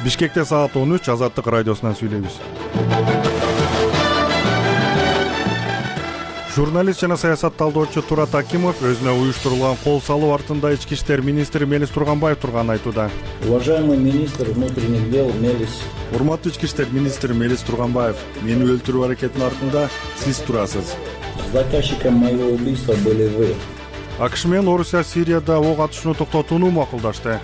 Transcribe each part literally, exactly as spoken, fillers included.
Бишкекте саат он үч, Азаттык радиосунан сүйлөйбүз. Журналист жана саясат талдоочу Турат Акимов өзүнө уюштурулган кол салуу артында ички иштер министри Мелис Турганбаев турганын айтууда. Уважаемый министр внутренних дел Мелис. Урматтуу ички иштер министри Мелис Турганбаев, мени өлтүрүү аракетинин артында сиз турасыз. Заказчиком моего убийства были вы. АКШ менен Орусия Сирияда ок атышууну токтотууну макулдашты.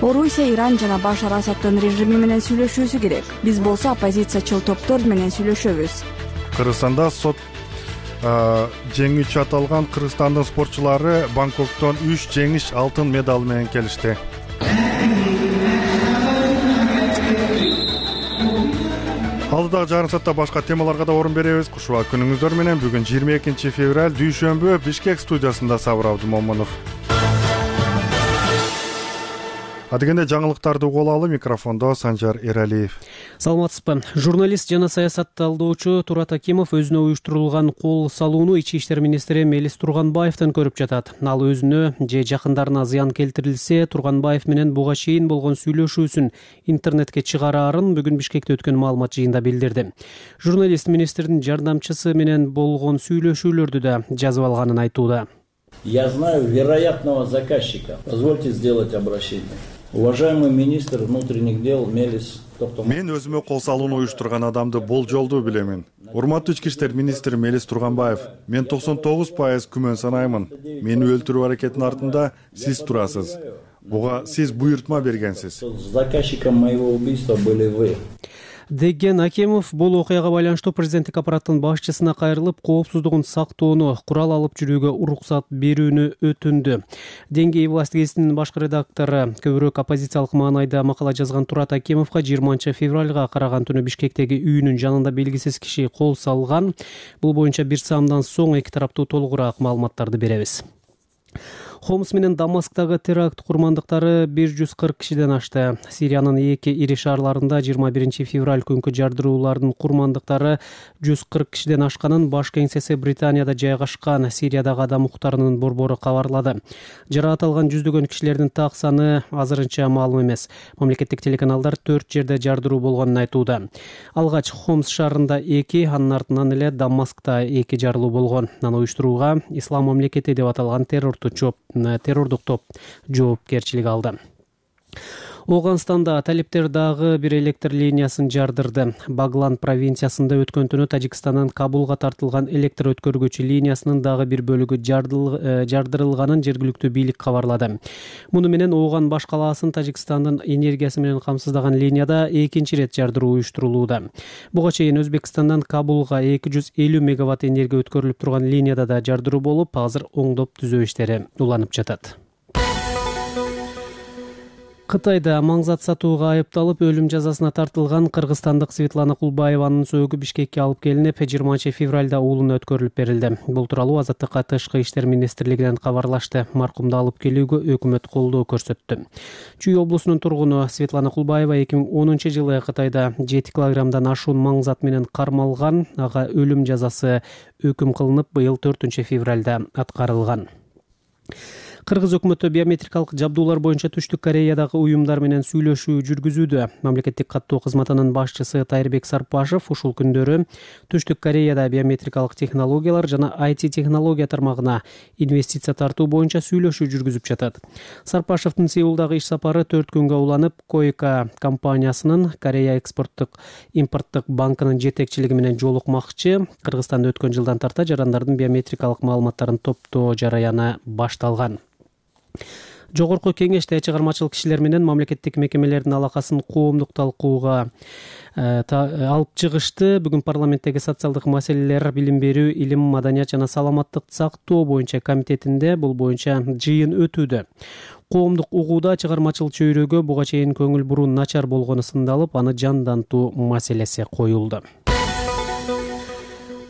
Орусия Иран жана Башар Асаддын режими менен сүйлөшүүсү керек. Биз болсо оппозициячыл топтор менен сүйлөшөбүз. Кыргызстанда сот жеңүүчү аталган Кыргызстандын спортчулары Бангкоктон үч жеңиш алтын медал менен келишти. Алдыдагы жарым саатта башка темаларга да орун беребиз. Кушуа күнүңүздөр менен бүгүн жыйырма экинчи февраль дүйшөмбү Бишкек студиясында Сабыр Абдумомунов. Адегенде жаңылыктарды угуп алалы, микрофондо Санжар Эралиев. Саламатсызбы. Журналист жана саясат талдоочу Турат Акимов өзүнө уюштурулган кол салууну ички иштер министри Мелис Турганбаевден көрүп жатат. Ал өзүнө же жакындарына зыян келтирилсе, Турганбаев менен буга чейин болгон сүйлөшүүсүн интернетке чыгараарын бүгүн Бишкекте өткөн маалымат жыйында билдирди. Журналист министрдин жардамчысы менен болгон сүйлөшүүлөрдү да жазып алганын айтууда. Я знаю вероятного заказчика. Позвольте сделать обращение. Уважаемый министр внутренних дел Мелис. Мен өзүмө кол салууну уюштурган адамды болжолдуу билемин. Урматтуу ички иштер министри Мелис Турганбаев, мен токсон тогуз пайыз күмөн санаймын. Мени өлтүрүү аракетинин артында сиз турасыз. Буга сиз буйртма бергенсиз. Заказчиком моего убийства были вы. Деген Акимов бул окуяга байланыштуу президенттик аппараттын башчысына кайрылып, коопсуздугун сактоону, курал алып жүрүүгө уруксат берүүнү өтүндү. Деңгей власть гезитинин башкы редактору, көбүрөөк оппозициялык маанайда макала жазган Турат Акимовго жыйырманчы февралга караган түнү Бишкектеги үйүнүн жанында белгисиз киши кол салган. Бул боюнча бир саамдан соң эки тараптуу толугураак маалыматтарды беребиз. Хомс менен Дамасктагы теракт курмандыктары бир жүз кырк кишиден ашты. Сириянын эки ири шаарларында жыйырма биринчи февраль күнкү жардыруулардын курмандыктары жүз кырк кишиден ашканын баш кеңсеси Британияда жайгашкан Сириядагы адам укуктарынын борбору кабарлады. Жараат алган жүздөгөн кишилердин так саны азырынча маалым эмес. Мамлекеттик телеканалдар төрт жерде жардыруу болгонун айтууда. Алгач Хомс шаарында эки, анын артынан эле Дамаскта эки жарылуу болгон. Аны уюштурууга Ислам мамлекети деп аталган террордук жооп террордук топ жоопкерчилик алды. Оганстанда талиптер дагы бир электр линиясын жардырды. Баглан провинциясында өткөн түнү Тажикстандан Кабулга тартылган электр өткөргүчү линиясынын дагы бир бөлүгү жардырылганын жергиликтүү бийлик кабарлады. Муну менен Оган баш калаасын Тажикстандын энергиясы менен камсыздаган линияда экинчи ирет жардыруу уюштурулууда. Буга чейин Өзбекстандан Кабулга эки жүз элүү мегаватт энергия өткөрүлүп турган линияда да жардыруу болуп, азыр оңдоп түзөө иштери уланып жатат. Кытайда маңзат сатууга айыпталып өлүм жазасына тартылган кыргызстандык Светлана Кулбаеванын сөөгү Бишкекке алып келинип, жыйырманчы февралда уулуна өткөрүлүп берилди. Бул тууралуу Азаттыкка Тышкы иштер министрлигинен кабарлашты. Маркумду алып келүүгө өкмөт колдоо көрсөттү. Чүй облусунун тургуну Светлана Кулбаева эки миң онунчу жылы Кытайда жети килограммдан ашуун маңзат менен кармалган. Ага өлүм жазасы өкүм кылынып, быйыл төртүнчү февралда аткарылган. Кыргыз өкмөтү биометрикалык жабдуулар боюнча Түштүк Кореядагы уюмдар менен сүйлөшүү жүргүзүүдө. Мамлекеттик каттоо кызматынын башчысы Тайырбек Сарпашев ушул күндөрү Түштүк Кореяда биометрикалык технологиялар жана ай ти технология тармагына инвестиция тартуу боюнча сүйлөшүү жүргүзүп жатат. Сарпашевдин Сеулдагы иш сапары төрт күнгө уланып, Койка компаниясынын Корея экспорттук импорттук банкынын жетекчилиги менен жолукмакчы. Кыргызстанда өткөн жылдан тарта жарандардын биометрикалык маалыматтарын топтоо жараяны башталган. Жогорку кеңеште чыгармачыл кишилер менен мамлекеттик мекемелердин алакасын коомдук талкууга алып чыгышты. Бүгүн парламенттеги социалдык маселелер, билим берүү, илим, маданият жана саламаттыкты сактоо боюнча комитетинде бул боюнча жыйын өтүүдө. Коомдук угууда чыгармачыл чөйрөгө буга чейин көңүл буруу начар болгону сындалып, аны жандантуу маселеси коюлду.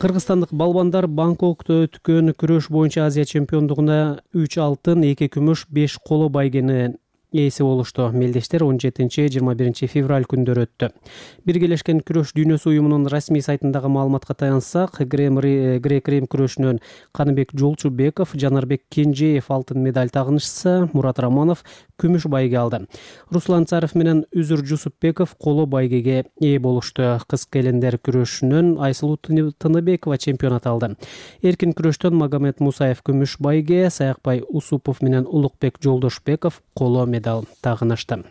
Кыргызстандык балбандар Бангкокто өткөн күрөш боюнча Азия чемпиондугуна үч алтын, эки күмүш, беш коло байгени ээси болушту. Мелдештер он жетинчи жыйырма биринчи февраль күндөрү өттү. Биргелешкен күрөш дүйнөсү уюмунун расмий сайтындагы маалыматка таянсак, грек-рим күрөшүнөн Каныбек Жолчубеков, Жанарбек Кенжеев алтын медаль тагынышса, Мурат Романов күмүш байге алды. Руслан Царов менен Үзүр Жусупбеков коло байгеге ээ болушту. Кыз келиндер күрөшүнөн Айсулуу Тыныбекова чемпионат алды. Эркин күрөштөн Магомед Мусаев күмүш байге, Саякбай Усупов менен Улукбек Жолдошбеков коло медаль тагынышты.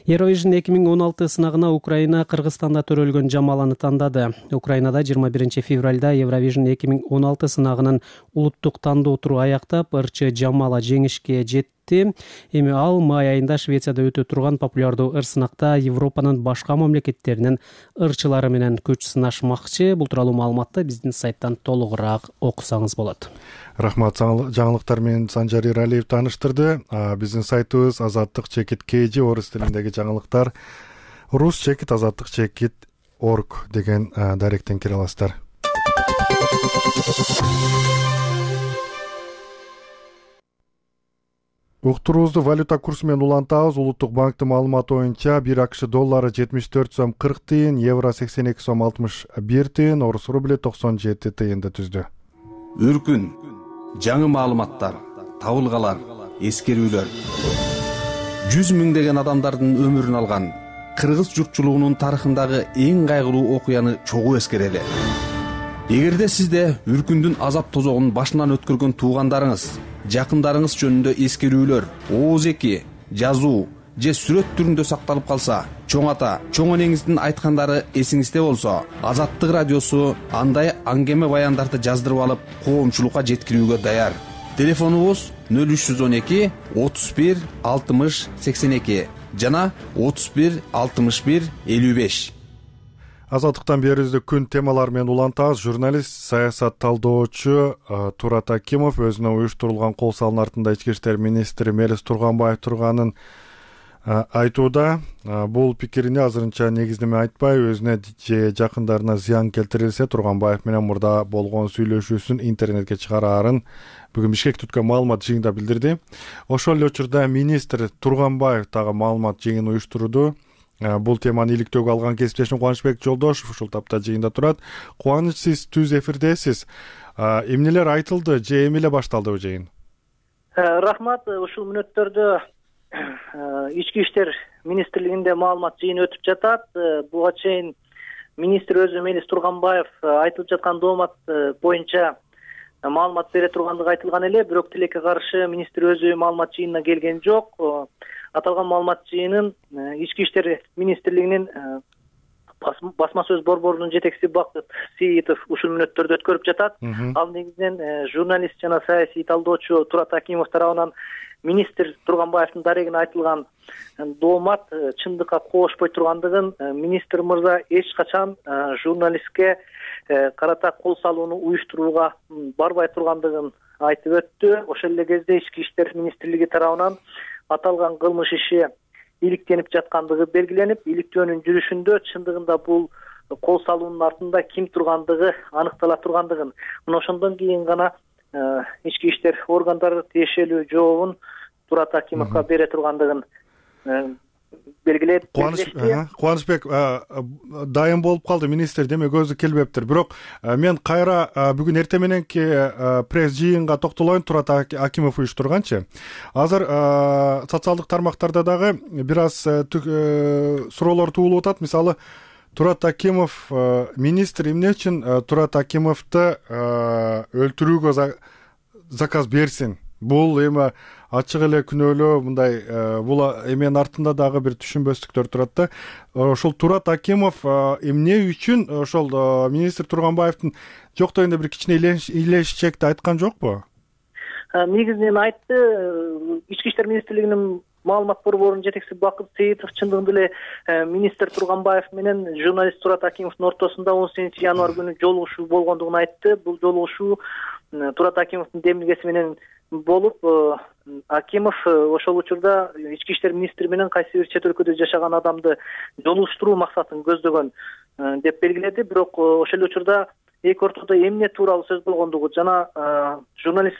Eurovision эки миң он алты сынагына Украина Кыргызстанда төрөлгөн Жамаланы тандады. Украинада жыйырма биринчи февралда Eurovision эки миң он алты сынагынын улуттук тандоо туру аяктап, ырчы Жамала жеңишке жетти. Эми ал май айында Швецияда өтө турган популярдуу ыр сынакта Европанын башка мамлекеттеринин ырчылары менен күч сынашмакчы. Бул тууралуу маалыматты биздин сайттан толугураак окусаңыз болот. Рахмат, жаңылыктар менен Санжар Иралиев тааныштырды. Биздин сайтыбыз азаттык чекит kg орус тилиндеги жаңылыктар, рус чекит азаттык чекит орг деген даректен кире аласыздар. Уктуруубузду валюта курсу менен улантабыз. Улуттук банктын маалыматы боюнча бир акш доллары жетимиш төрт сом кырк тыйын, евро сексен эки сом алтымыш бир тыйын, орус рубли токсон жети тыйынды түздү. Үркүн, жаңы маалыматтар, табылгалар, эскерүүлөр. жүз миңдеген адамдардын өмүрүн алган кыргыз журтчулугунун тарыхындагы эң кайгылуу окуяны чогуу эскерели. Эгерде сизде үркүндүн азап тозогун башынан өткөргөн туугандарыңыз, жакындарыңыз жөнүндө эскерүүлөр, ооз-эки, жазуу же сүрөт түрүндө сакталып калса, чоң ата, чоң энеңиздин айткандары эсиңизде болсо, Азаттык радиосу андай аңгеме баяндарды жаздырып алып, коомчулукка жеткирүүгө даяр. Телефонубуз нөл үч жүз он эки отуз бир алтымыш сексен эки жана отуз бир алтымыш бир элүү беш. Азаттыктан берүүбүздө күн темалары менен улантабыз. Журналист, саясат талдоочу Турат Акимов өзүнө уюштурулган кол салуунун артында ички иштер министри Мелис Турганбаев турганын айтууда. Бул пикирине азырынча негиздеме айтпай, өзүнө же жакындарына зыян келтирилсе, Турганбаев менен мурда болгон сүйлөшүүсүн интернетке чыгараарын бүгүн Бишкекте өткөн маалымат жыйынында билдирди. Ошол эле учурда министр Турганбаев дагы маалымат жыйынын уюштурду. Бул теманы иликтөөгө алган кесиптешим Кубанычбек Жолдошев ушул тапта жыйында турат. Кубаныч, сиз түз эфирдесиз. Эмнелер айтылды же эми эле башталды бул жыйын? Рахмат. Ушул мүнөттөрдө ички иштер министрлигинде маалымат жыйыны өтүп жатат. Буга чейин министр өзү Мелис Турганбаев айтылып жаткан доомат боюнча маалымат бере тургандыгы айтылган эле, бирок тилекке каршы министр өзү маалымат жыйынына келген жок. Аталган маалымат жыйынын ички иштер министрлигинин басма сөз борборунун жетекчиси Бакыт Сейитов ушул мүнөттөрдө өткөрүп жатат. Ал негизинен журналист жана саясий талдоочу Турат Акимов тарабынан министр Турганбаевдин дарегине айтылган доомат чындыкка коошпой тургандыгын, министр мырза эч качан журналистке карата кол салууну уюштурууга барбай тургандыгын айтып өттү. Ошол эле кезде ички иштер министрлиги тарабынан аталган кылмыш иши иликтенип жаткандыгы белгиленип, иликтөөнүн жүрүшүндө чындыгында бул кол салуунун артында ким тургандыгы аныктала тургандыгын, мына ошондон кийин гана ички иштер органдары тиешелүү жообун Турат Акимовго бере тургандыгын белгилеп. Кубанычбек дайым болуп калды министр, демек өзү келбептир. Бирок мен кайра бүгүн эртең мененки пресс жыйынга токтолоюн. Турат Акимов уюштурганчы. Азыр социалдык тармактарда дагы бир аз суроолор туулуп атат. Мисалы, Турат Акимов министр эмне үчүн Турат Акимовду өлтүрүүгө заказ берсин? Бул эми ачык эле күнөөлөө, мындай бул эменин артында дагы бир түшүнбөстүктөр турат да. Ошол Турат Акимов эмне үчүн ошол министр Турганбаевдин жок дегенде бир кичине илешчекти айткан жокпу? Негизинен айтты. Ички иштер министрлигинин маалымат борборунун жетекчиси Бакыт Сейитов чындыгында эле министр Турганбаев менен журналист Турат Акимовдун ортосунда он сегизинчи январь күнү жолугушуу болгондугун айтты. Бул жолугушуу Турат Акимовдун демилгеси менен болуп, Акимов ошол учурда ички иштер министри менен кайсы бир чет өлкөдө жашаган адамды жолугуштуруу максатын көздөгөн деп белгиледи. Бирок ошол эле учурда эки ортодо эмне тууралуу сөз болгондугу жана журналист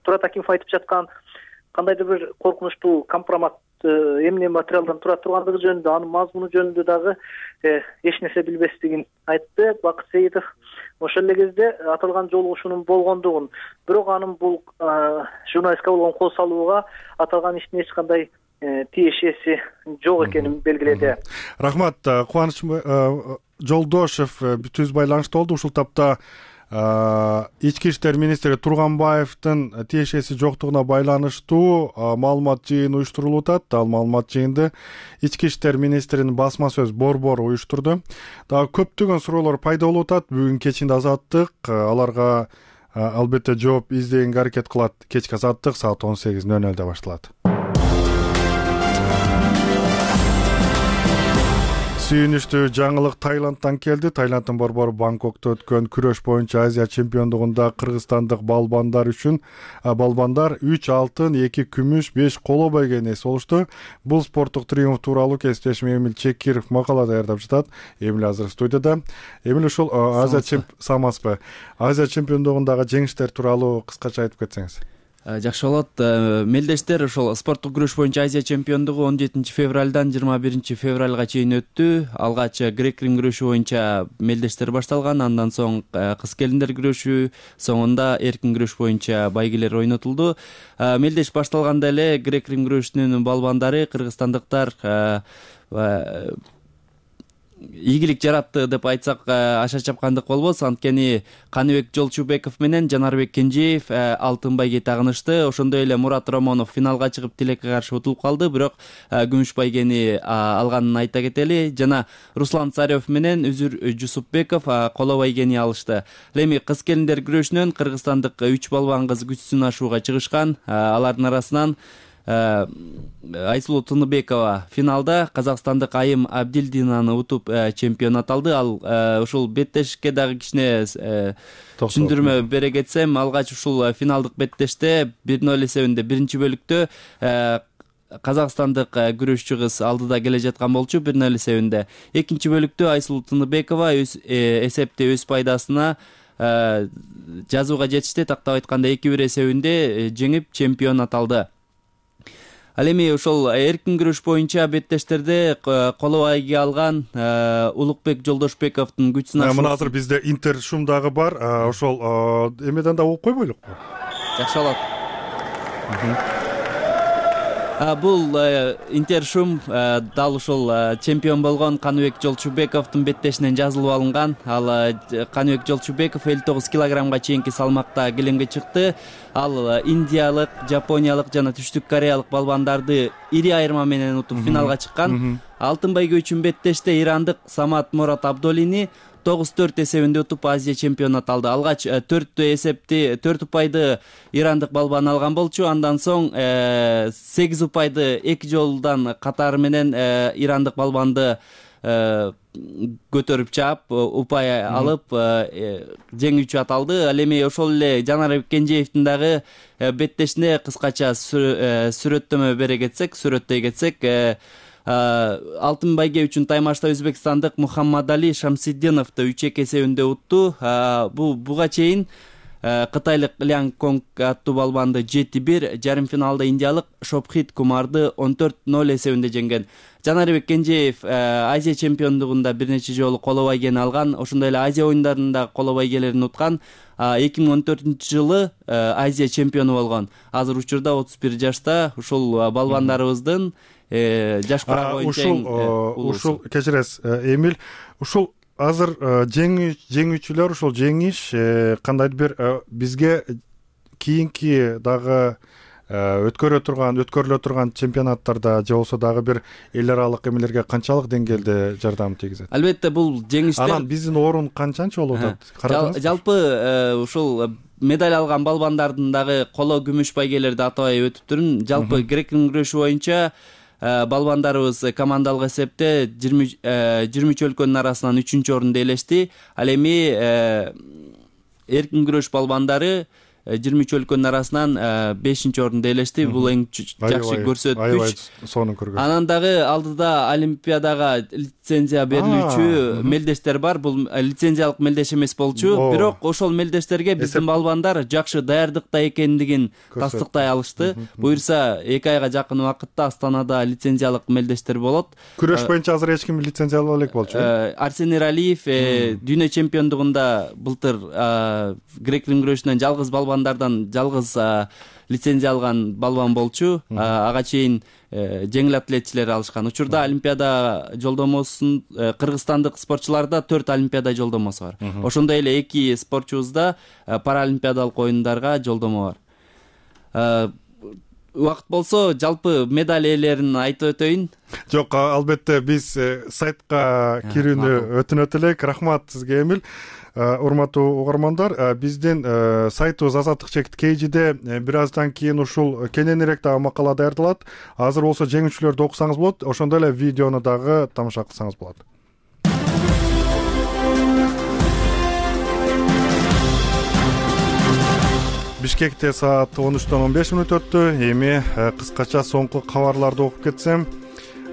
Турат Акимов айтып жаткан кандайдыр бир коркунучтуу компромат эмне материалдан тура тургандыгы жөнүндө, анын мазмуну жөнүндө дагы эч нерсе билбестигин айтты Бакыт Сеитов. Ошол эле кезде аталган жолугушуунун болгондугун, бирок анын бул журналистке болгон кол салууга аталган иштин эч кандай тиешеси жок экенин белгиледи. Рахмат. Кубаныч Жолдошев түз байланышта болду. Ушул тапта ички иштер министри Турганбаевдин тиешеси жоктугуна байланыштуу маалымат жыйын уюштурулуп атат. Ал маалымат жыйынды ички иштер министринин басма сөз Борбор уюштурду. Дагы көптөгөн суроолор пайда болуп атат. Бүгүн кечинде Азаттык аларга албетте жооп издегенге аракет кылат. Кечки Азаттык саат он сегиз ноль нолдо башталат. Сүйүнүчтүү жаңылык Таиландтан келди. Таиланддын борбору Бангкокто өткөн күрөш боюнча Азия чемпиондугунда кыргызстандык балбандар үчүн балбандар үч алтын, эки күмүш, беш коло байгени болушту. Бул спорттук триумф тууралуу кесиптешим Эмил Чекиров макала даярдап жатат. Эмил азыр студияда. Эмил, ушул Азия чемпион самаспы? Азия чемпиондугундагы жеңиштер тууралуу кыскача айтып кетсеңиз. Жакшы болот. Мелдештер, ошол спорттук күрөш боюнча Азия чемпиондугу он жетинчи февралдан жыйырма биринчи февралга чейин өттү. Алгач грек-рим күрөшү боюнча мелдештер башталган, андан соң кыз-келиндер күрөшү, соңунда эркин күрөш боюнча байгелер ойнотулду. Мелдеш башталганда эле грек-рим күрөшүнүн балбандары кыргызстандыктар ийгилик жаратты деп айтсак аша чапкандык болбос. Анткени Каныбек Жолчубеков менен Жанарбек Кенжеев алтын байге тагынышты. Ошондой эле Мурат Ромонов финалга чыгып тилекке каршы утулуп калды, бирок күмүш байгени алганын айта кетели. Жана Руслан Царев менен Үзүр Жусупбеков коло байгени алышты. Эми кыз-келиндер күрөшүнөн кыргызстандык үч балбан кыз күч сынашууга чыгышкан. Алардын арасынан Айсулуу Тыныбекова финалда казакстандык Айым Абдилдинаны утуп чемпион аталды. Ал ушул беттешке дагы кичине түшүндүрмө бере кетсем, алгач ушул финалдык беттеште бир ноль эсебинде биринчи бөлүктө казакстандык күрөшчү кыз алдыда келе жаткан болчу бир ноль эсебинде. Экинчи бөлүктө Айсулуу Тыныбекова эсепти өз пайдасына жазууга жетишти. Тактап айтканда эки бир эсебинде жеңип чемпион аталды. Ал эми ошол эркин күрөш боюнча беттештерде коло байге алган Улукбек Жолдошбековдун күч сынашуусу. Мына азыр бизде Интер шум дагы бар. Ошол эмеден да угуп койбойлукпу? Жакшы болот. Бул интершум дал ушул чемпион болгон Каныбек Жолчубековдун беттешинен жазылып алынган. Ал Каныбек Жолчубеков элүү тогуз килограммга чейинки салмакта килемге чыкты. Ал индиялык, жапониялык жана түштүк кореялык балбандарды ири айырма менен утуп финалга чыккан. Алтын байге үчүн беттеште ирандык Самат Мурат Абдолини тогуз төрт эсебинде утуп Азия чемпион аталды. Алгач төрт эсепти, төрт упайды ирандык балбан алган болчу. Андан соң сегиз упайды эки жолдан катары менен ирандык балбанды көтөрүп чаап, упай алып жеңүүчү аталды. Ал эми ошол эле Жанарбек Кенжеевдин дагы беттешине кыскача сүрөттөмө бере кетсек, сүрөттөй кетсек, алтын байге үчүн таймашта өзбекстандык Мухаммадали Шамсиддиновду үч эки эсебинде утту. Бу буга чейин кытайлык Лян Конг аттуу балбанды жети бир, жарым финалда индиялык Шопхит Кумарды он төрт ноль эсебинде жеңген. Жанарбек Кенжеев Азия чемпиондугунда бир нече жолу коло байгени алган, ошондой эле Азия оюндарында коло байгелерин уткан. эки миң он төртүнчү жылы Азия чемпиону болгон. Азыр учурда отуз бир жашта. Ушул балбандарыбыздын жаш кура боюнча ушул кечиресиз Эмил, ушул азыр жеңүүчүлөр ушул жеңиш кандайдыр бир бизге кийинки дагы өткөрө турган өткөрүлө турган чемпионаттарда же болбосо дагы бир эл аралык эмелерге канчалык деңгээлде жардам тийгизет? Албетте бул жеңиштер анан биздин орун канчанчы болуп атат? Карадыңызбы? Жалпы ушул медаль алган балбандардын дагы коло күмүш байгелерди атабай өтүп турун. Жалпы грек-рим күрөшү боюнча балбандарыбыз командалык эсепте жыйырма үч өлкөнүн арасынан үчүнчү орунду ээлешти. Ал эми эркин күрөш балбандары жыйырма үч өлкөнүн арасынан бешинчи орунду ээлешти. Бул эң жакшы көрсөткүч. Сонун көргөз. Анан дагы алдыда Олимпиадага лицензия берилүүчү мелдештер бар. Бул лицензиялык мелдеш эмес болчу, бирок ошол мелдештерге биздин балбандар жакшы даярдыкта экендигин тастыктай алышты. Буюрса эки айга жакын убакытта Астанада лицензиялык мелдештер болот. Күрөш боюнча азыр эч ким лицензиялай элек болчу. Арсен Эралиев дүйнө чемпиондугунда былтыр грек-рим күрөшүнөн жалгыз балбандардан жалгыз лицензия алган балбан болчу. Ага чейин жеңил атлетчилер алышкан. Учурда Олимпиада жолдомосун кыргызстандык спортчуларда төрт Олимпиада жолдомосу бар. Ошондой эле эки спортчубузда паралимпиадалык оюндарга жолдомо бар. Убакыт болсо жалпы медаль ээлерин айтып өтөйүн. Жок, албетте биз сайтка кирүүнү өтүнөт элек. Рахмат сизге, Эмил. Урматтуу угармандар, биздин сайтыбыз Азаттык чекит кейжиде бир аздан кийин ушул кененирээк дагы макала даярдалат. Азыр болсо жеңүүчүлөрдү окусаңыз болот, ошондой эле видеону дагы тамаша кылсаңыз болот. Бишкекте саат он үчтөн он беш мүнөт өттү. Эми кыскача соңку кабарларды окуп кетсем.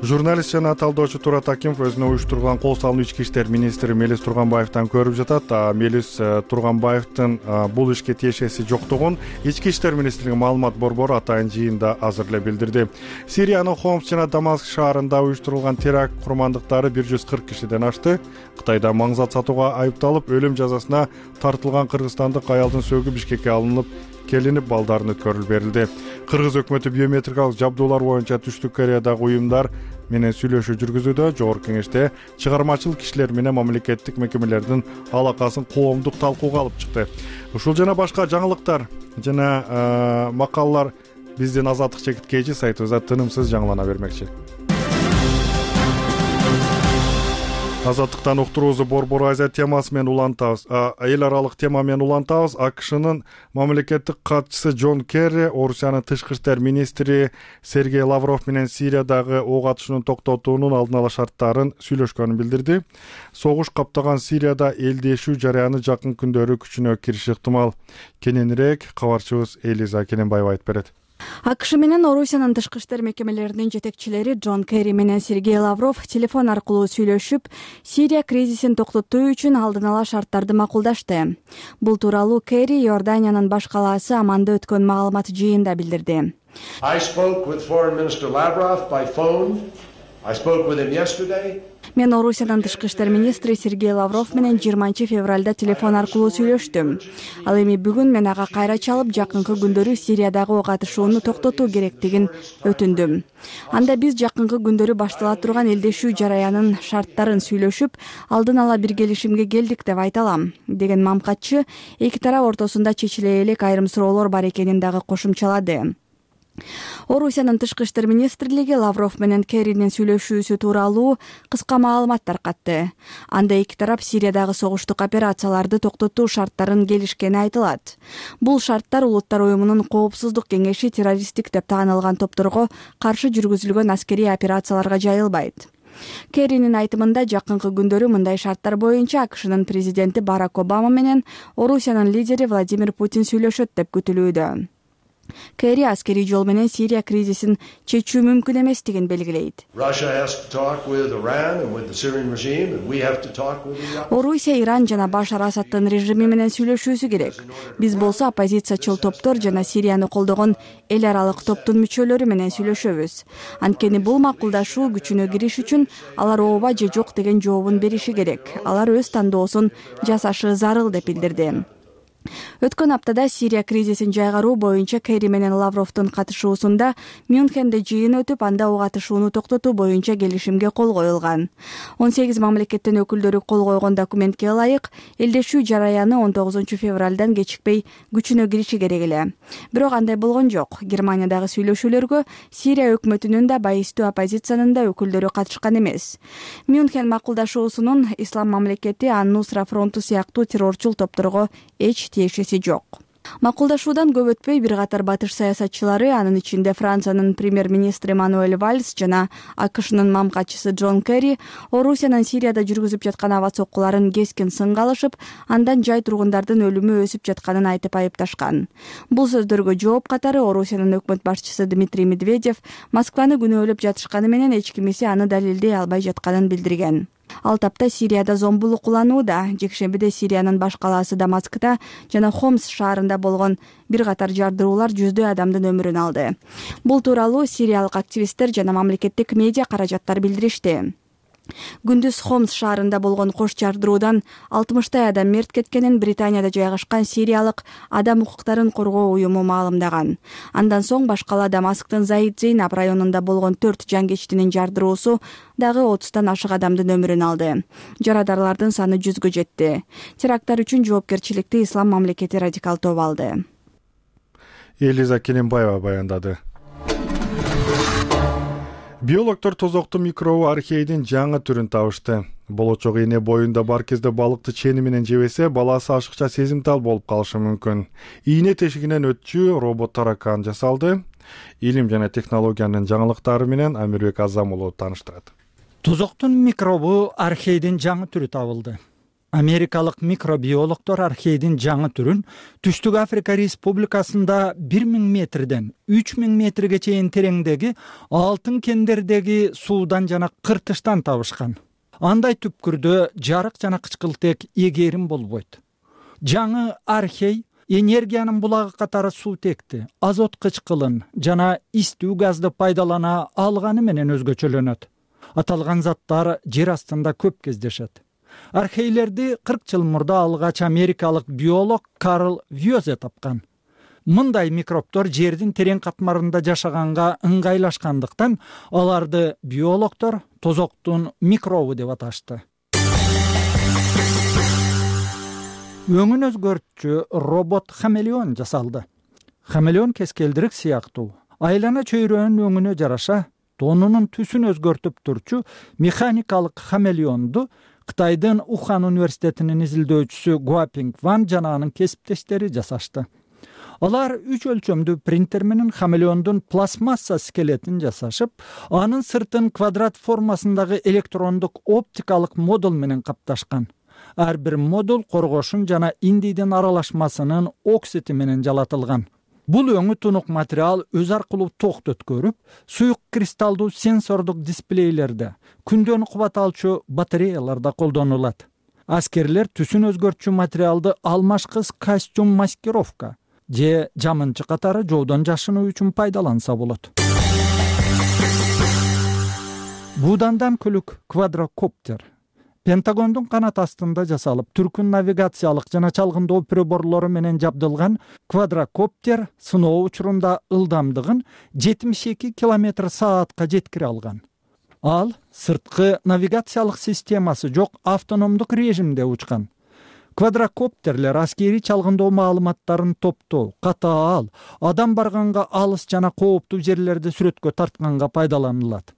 Журналист жана талдоочу Турат Акимов өзүнө уюштурулган кол салуу ички иштер министри Мелис Турганбаевден көрүп жатат. Мелис Турганбаевдин бул ишке тиешеси жоктугун ички иштер министрлиги маалымат борбору атайын жыйында азыр эле билдирди. Сириянын Хомс жана Дамаск шаарында уюштурулган теракт курмандыктары бир жүз кырк кишиден ашты. Кытайда маңзат сатууга айыпталып, өлүм жазасына тартылган кыргызстандык аялдын сөөгү Бишкекке алынып келинип балдарын өткөрүлүп берилди. Кыргыз өкмөтү биометрикалык жабдуулар боюнча Түштүк Кореядагы уюмдар менен сүйлөшүү жүргүзүүдө. Жогорку кеңеште чыгармачыл кишилер менен мамлекеттик мекемелердин алакасын коомдук талкууга алып чыкты. Ушул жана башка жаңылыктар жана макалалар биздин Азаттык чекит кейжи сайтыбызда тынымсыз жаңылана бермекчи. Азаттыктан уктуруубузду Борбор Азия темасы менен улантабыз. Эл аралык тема менен улантабыз. АКШнын мамлекеттик катчысы Джон Керри, Орусиянын тышкы иштер министри Сергей Лавров менен Сириядагы ок атышуунун токтотуунун алдын ала шарттарын сүйлөшкөнүн билдирди. Согуш каптаган Сирияда элдешүү жараяны жакын күндөрү күчүнө кириши ыктымал. Кененирээк кабарчыбыз Элиза Кененбаева айтып берет. АКШ менен Орусиянын тышкы иштер мекемелеринин жетекчилери Джон Керри менен Сергей Лавров телефон аркылуу сүйлөшүп, Сирия кризисин токтотуу үчүн алдын ала шарттарды макулдашты. Бул тууралуу Керри Иорданиянын баш калаасы Амманда өткөн маалымат жыйында билдирди. I spoke with Foreign Minister Lavrov by phone. I spoke with him yesterday. Мен Орусиянын тышкы иштер министри Сергей Лавров менен жыйырманчы февралда телефон аркылуу сүйлөштүм. Ал эми бүгүн мен ага кайра чалып, жакынкы күндөрү Сириядагы ок атышууну токтотуу керектигин өтүндүм. Анда биз жакынкы күндөрү баштала турган элдешүү жараянын шарттарын сүйлөшүп, алдын ала бир келишимге келдик деп айта алам, деген мамкатчы эки тарап ортосунда чечиле элек айрым суроолор бар экенин дагы кошумчалады. Орусиянын тышкы иштер министрлиги Лавров менен Керринин сүйлөшүүсү тууралуу кыска маалымат таркатты. Анда эки тарап Сириядагы согуштук операцияларды токтотуу шарттарын келишкени айтылат. Бул шарттар Улуттар уюмунун Коопсуздук кеңеши террористтик деп таанылган топторго каршы жүргүзүлгөн аскерий операцияларга жайылбайт. Керринин айтымында жакынкы күндөрү мындай шарттар боюнча АКШнын президенти Барак Обама менен Орусиянын лидери Владимир Путин сүйлөшөт деп күтүлүүдө. Керри аскерий жол менен Сирия кризисин чечүү мүмкүн эместигин белгилейт. Орусия Иран жана Башар Асаддын режими менен сүйлөшүүсү керек. Биз болсо оппозициячыл топтор жана Сирияны колдогон эл аралык топтун мүчөлөрү менен сүйлөшөбүз. Анткени бул макулдашуу күчүнө кириш үчүн алар ооба же жок деген жообун бериши керек. Алар өз тандоосун жасашы зарыл деп билдирди. Өткөн аптада Сирия кризисин жайгаруу боюнча Керри менен Лавровдун катышуусунда Мюнхенде жыйын өтүп, анда ок атышууну токтотуу боюнча келишимге кол коюлган. он сегиз мамлекеттин өкүлдөрү кол койгон документке ылайык, элдешүү жараяны он тогузунчу февралдан кечикпей күчүнө кириши керек эле. Бирок андай болгон жок. Германиядагы сүйлөшүүлөргө Сирия өкмөтүнүн да, байыстуу оппозициянын да өкүлдөрү катышкан эмес. Мюнхен макулдашуусунун Ислам мамлекети Ан-Нусра фронту сыяктуу террорчул топторго эч тиешеси жок. Макулдашуудан көп өтпөй бир катар батыш саясатчылары, анын ичинде Франциянын премьер-министри Мануэль Вальс жана АКШнын мамкачысы Джон Керри Орусиянын Сирияда жүргүзүп жаткан аба соккуларын кескин сынга алышып, андан жай тургундардын өлүмү өсүп жатканын айтып айыпташкан. Бул сөздөргө жооп катары Орусиянын өкмөт башчысы Дмитрий Медведев Москваны күнөөлөп жатышканы менен эч кимиси аны далилдей албай жатканын билдирген. Ал тапта Сирияда зомбулук куланууда. Жекшембиде Сириянын баш калаасы Дамаскта жана Хомс шаарында болгон бир катар жардыруулар жүздөй адамдын өмүрүн алды. Бул тууралуу сириялык активисттер жана мамлекеттик медиа каражаттар билдиришти. Күндүз Хомс шаарында болгон кош жардыруудан алтымыштай адам мерт кеткенин Британияда жайгашкан сириялык адам укуктарын коргоо уюму маалымдаган. Андан соң баш кала Дамасктын Заид Зейнаб районунда болгон төрт жангечтинин жардыруусу дагы отуздан ашык адамдын өмүрүн алды. Жарадарлардын саны жүзгө жетти. Теракттар үчүн жоопкерчиликти Ислам мамлекети радикал тобу алды. Элиза Келенбаева баяндады. Биологдор тозоктуу микробу архейдин жаңы түрүн табышты. Болочок эне боюнда бар кезде балыкты чени менен жебесе, баласы ашыкча сезимтал болуп калышы мүмкүн. Ийне тешигинен өтчү робот таракан жасалды. Илим жана технологиянын жаңылыктары менен Амирбек Азам уулу тааныштырат. Тозоктун микробу архейдин жаңы түрү табылды. Америкалык микробиологдор архейдин жаңы түрүн Түштүк Африка Республикасында бир миң метрден үч миң метрге чейин тереңдеги алтын кендердеги суудан жана кыртыштан табышкан. Андай түпкүрдө жарык жана кычкылтек эгерим болбойт. Жаңы архей энергиянын булагы катары суутекти, азот кычкылын жана истүү газды пайдалана алганы менен өзгөчөлөнөт. Аталган заттар жер астында көп кездешет. Архейлерди кырк жыл мурда алгач америкалык биолог Карл Вьозе тапкан. Мындай микробдор жердин терең катмарында жашаганга ыңгайлашкандыктан аларды биологдор тозоктун микробу деп аташты. Өңүн өзгөртчү робот хамелеон жасалды. Хамелеон кескелдирик сыяктуу. Айлана чөйрөнүн өңүнө жараша тонунун түсүн өзгөртүп турчу механикалык хамелеонду Кытайдын Ухан университетинин изилдөөчүсү Гуапинг Ван жана анын кесиптештери жасашты. Алар үч өлчөмдүү принтер менен хамелеондун пластмасса скелетин жасашып, анын сыртын квадрат формасындагы электрондук оптикалык модуль менен капташкан. Ар бир модуль коргошун жана индийдин аралашмасынын оксити менен жалатылган. Бул өңү тунук материал өз аркылуу токту өткөрүп, суюк кристалдуу сенсордук дисплейлерде, күндөн кубат алчу батареяларда колдонулат. Аскерлер түсүн өзгөртчү материалды алмашкыс костюм маскировка же жамынчы катары жоодон жашынуу үчүн пайдаланса болот. Будандан көлүк квадрокоптер Пентагондун канат астында жасалып, түркүн навигациялык жана чалгындоо приборлору менен жабдылган квадрокоптер сыноо учурунда ылдамдыгын жетимиш эки километр саатка жеткире алган. Ал сырткы навигациялык системасы жок автономдук режимде учкан. Квадрокоптерлер аскери чалгындоо маалыматтарын топтоо, катаал, адам барганга алыс жана кооптуу жерлерди сүрөткө тартканга пайдаланылат.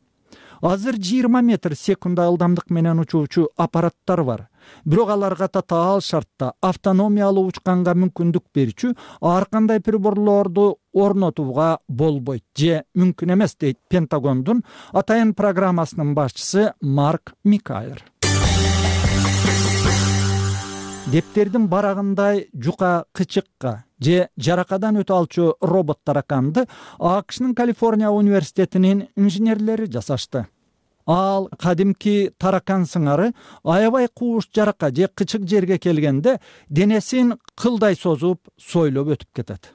Азыр жыйырма метр секунда ылдамдык менен учуучу аппараттар бар. Бирок аларга татаал шартта автономиялуу учканга мүмкүндүк берчү ар кандай приборлорду орнотууга болбойт же мүмкүн эмес дейт Пентагондун атайын программасынын башчысы Марк Микайер. Дептердин барагындай жука кычыкка же жаракадан өтө алчу робот тараканды АКШнын Калифорния университетинин инженерлери жасашты. Ал кадимки таракан сыңары аябай кууш жарака же кычык жерге келгенде денесин кылдай созуп, сойлоп өтүп кетет.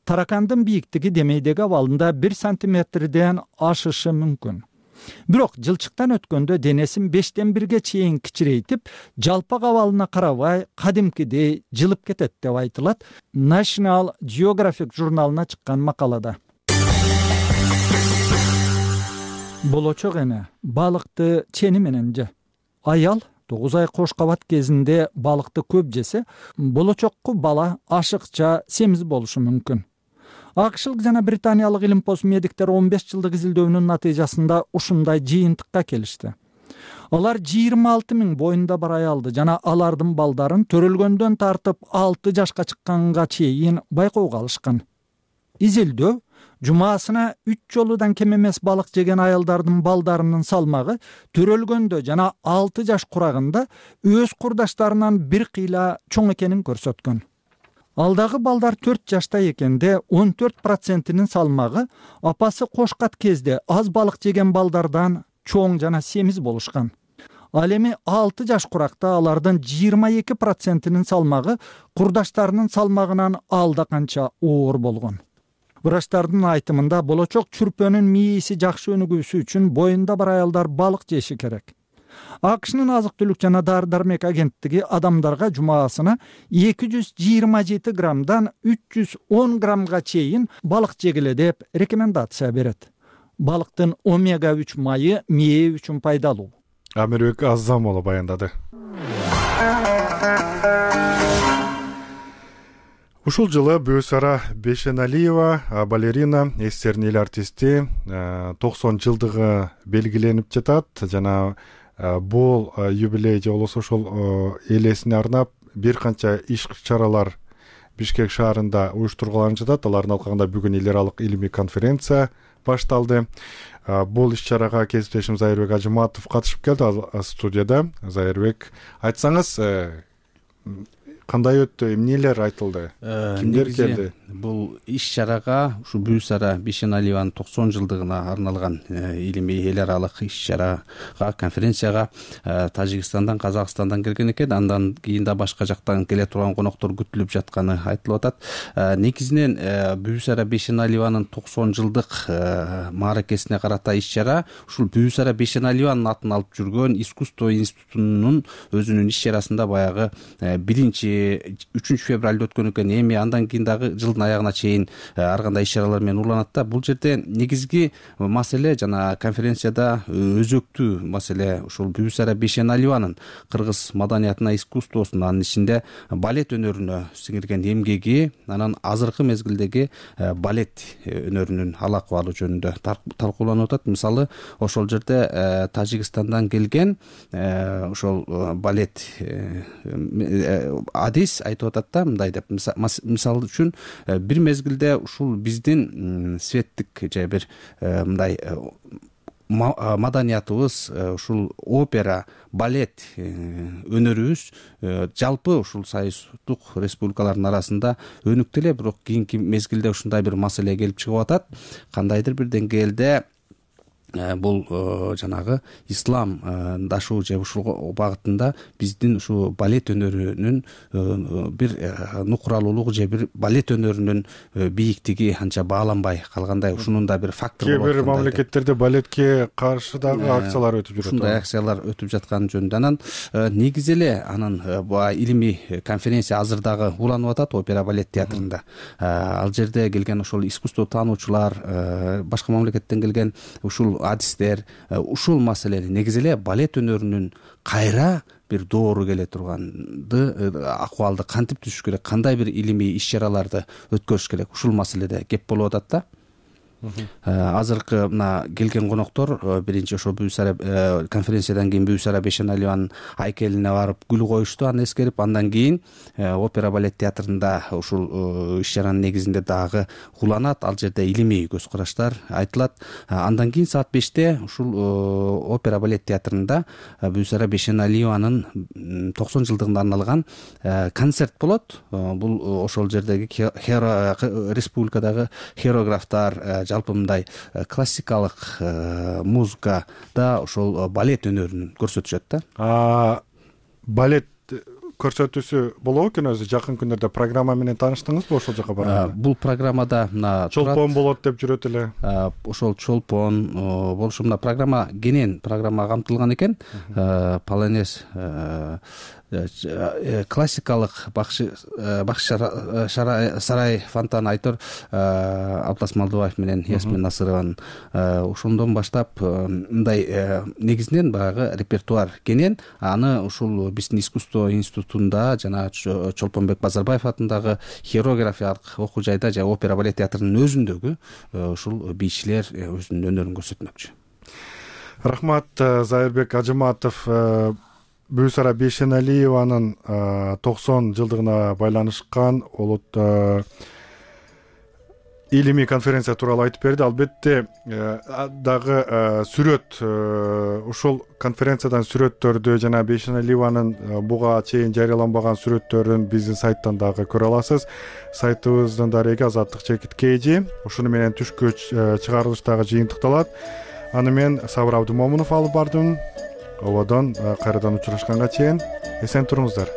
Таракандын бийиктиги демейдеги абалында бир сантиметрден ашышы мүмкүн. Бирок жылчыктан өткөндө денесин бештен бирге чейин кичирейтип, жалпак абалына карабай кадимкидей жылып кетет деп айтылат National Geographic журналына чыккан макалада. Болочок эне балыкты чени менен же. Аял тогуз ай кош кабат кезинде балыкты көп жесе, болочокку бала ашыкча семиз болушу мүмкүн. Акшылык жана британиялык илимпоз медиктер он беш жылдык изилдөөнүн натыйжасында ушундай жыйынтыкка келишти. Алар жыйырма алты миң боюнда бар аялды жана алардын балдарын төрөлгөндөн тартып алты жашка чыкканга чейин байкоого алышкан. Изилдөө жумасына үч жолудан кем эмес балык жеген аялдардын балдарынын салмагы төрөлгөндө жана алты жаш курагында өз курдаштарынан бир кыйла чоң экенин көрсөткөн. Алдагы балдар төрт жашта экенде он төрт процентинин салмагы апасы кошкат кезде аз балык жеген балдардан чоң жана семиз болушкан. Ал эми алты жаш куракта алардын жыйырма эки процентинин салмагы курдаштарынын салмагынан алда канча оор болгон. Врачтардын айтымында болочок чүрпөнүн мээси жакшы өнүгүүсү үчүн боюнда бар аялдар балык жеши керек. АКШнын азык-түлүк жана дары-дармек агенттиги адамдарга жумасына эки жүз жыйырма жети граммдан үч жүз он граммга чейин балык жегиле деп рекомендация берет. Балыктын омега үч майы мээ үчүн пайдалуу. Амирбек Аззамолу баяндады. Ушул жылы Бүүсара Бешеналиева балерина, эстерин эл артисти токсон жылдыгы белгиленип жатат жана бул юбилей же болбосо ошол эл эсине арнап бир канча иш-чаралар Бишкек шаарында уюштурулган жатат. Алардын алкагында бүгүн эл аралык илимий конференция башталды. Бул иш-чарага кесиптешим Зайырбек Ажыматов катышып келди студияда. Зайырбек, айтсаңыз, кандай өттү, эмнелер айтылды, кимдер келди? Бул иш-чарага ушу Бүүсара Бешеналиеванын токсон жылдыгына арналган илимий эл аралык иш-чарага, конференцияга Тажикстандан, Казакстандан келген экен. Андан кийин да башка жактан келе турган коноктор күтүлүп жатканы айтылып атат. Негизинен Бүүсара Бешеналиеванын токсон жылдык мааракесине карата иш-чара ушул Бүүсара Бешеналиеванын атын алып жүргөн искусство институтунун өзүнүн иш-чарасында баягы биринчи үчүнчү февралда өткөн экен. Эми андан кийин дагы жылдын аягына чейин ар кандай иш-чаралар менен уланат да. Бул жерде негизги маселе жана конференцияда өзөктүү маселе ушул Бүүсара Бешеналиеванын кыргыз маданиятына, искусствосуна, анын ичинде балет өнөрүнө сиңирген эмгеги, анан азыркы мезгилдеги балет өнөрүнүн ал акыбалы жөнүндө талкууланып атат. Мисалы, ошол жерде Тажикстандан келген ошол балет адис айтып атат да, мындай деп, мисалы үчүн бир мезгилде ушул биздин светтик же бир мындай маданиятыбыз, ушул опера, балет өнөрүбүз жалпы ушул союздук республикалардын арасында өнүктү эле, бирок кийинки мезгилде ушундай бир маселе келип чыгып атат. Кандайдыр бир деңгээлде бул жанагы ислам дашуу же ушул багытында биздин ушу балет өнөрүнүн бир нукуралуулугу же бир балет өнөрүнүн бийиктиги анча бааланбай калгандай, ушунун да бир фактор болот. Кээ бир мамлекеттерде балетке каршы дагы акциялар өтүп жүрөт. Ушундай акциялар өтүп жаткан жөнүндө анан негизи эле анын илимий конференция азыр дагы уланып атат опера балет театрында. Ал жерде келген ошол искусство таануучулар, башка мамлекеттен келген ушул адистер ушул маселени негизи эле балет өнөрүнүн кайра бир доору келе турганды акыбалды кантип түзүш керек, кандай бир илимий иш-чараларды өткөрүш керек, ушул маселеде кеп болуп атат да. Азыркы мына келген коноктор биринчи ошо Бүүсара конференциядан кийин Бүүсара Бешеналиеванын айкелине барып гүл коюшту, аны эскерип. Андан кийин опера балет театрында ушул иш-чаранын негизинде дагы уланат. Ал жерде илимий көз караштар айтылат. Андан кийин саат беште ушул опера балет театрында Бүүсара Бешеналиеванын токсон жылдыгына арналган концерт болот. Бул ошол жердеги республикадагы хореографтар, жалпы мындай классикалык музыкада ошол балет өнөрүн көрсөтүшөт да. Балет көрсөтүүсү болобу экен өзү? Жакын күндөрдө программа менен тааныштыңызбы ошол жака барганда? Бул программада мына чолпон болот деп жүрөт эле. Ошол чолпон болушу, мына программа кенен программа камтылган экен. Полонез, классикалык бакшы сарай фонтан айтор Аблас Малдыбаев менен Ясмин Насырованын ошондон баштап мындай негизинен баягы репертуар кенен. Аны ушул биздин искусство институтунда жана Чолпонбек Базарбаев атындагы хореографиялык окуу жайда же опера балет театрынын өзүндөгү ушул бийчилер өзүнүн өнөрүн көрсөтмөкчү. Рахмат. Зайырбек Ажыматов Бүсара Бейшеналиеванын токсон жылдыгына байланышкан улут илимий конференция тууралуу айтып берди. Албетте дагы сүрөт, ушул конференциядан сүрөттөрдү жана Бейшеналиеванын буга чейин жарыяланбаган сүрөттөрүн биздин сайттан дагы көрө аласыз. Сайтыбыздын дареги азаттык чекит kg. Ушуну менен түшкү чыгарылыш дагы жыйынтыкталат. Аны мен Сабыр Абдымомунов алып бардым. Ободон кайрадан учурашканга чейин эсен туруңуздар.